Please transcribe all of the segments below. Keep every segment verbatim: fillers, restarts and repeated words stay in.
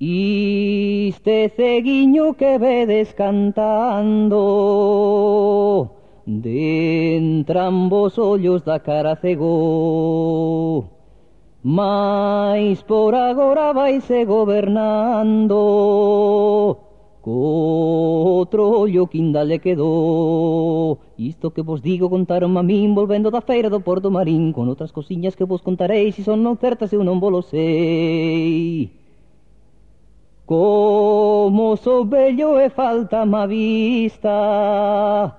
Este ceguiño que vedes cantando de entrambos ollos da cara cegou, mais por agora vaise gobernando co outro ollo que inda lle quedou. Isto que vos digo contaronme a min volvendo da feira do Porto Marín, con outras cosiñas que vos contarei, se son non certas eu non vos lo sei. Como sou vello e falta má vista,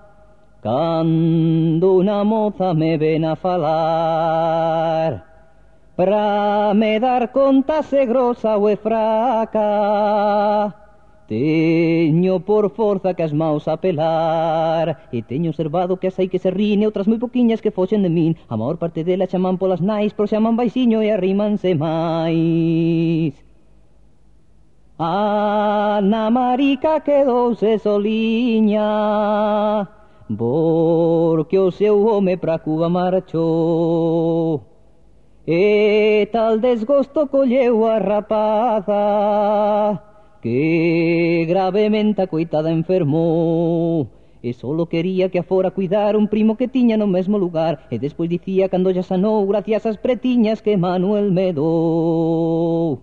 cando unha moza me ven a falar, pra me dar conta se grosa ou é fraca, teño por forza que as maus a pelar, e teño observado que as hai que se rin e outras moi poquiñas que foxen de min. A maior parte delas chaman polas nais, pero chaman baixiño e arrímanse máis. Ana Marica quedouse soliña, porque o seu home pra Cuba marchou, e tal desgosto colleu a rapaza, que gravemente a coitada enfermou, e solo quería que a fora cuidar un primo que tiña no mesmo lugar, e despois dicía cando ya sanou gracias ás pretiñas que Manuel me dou.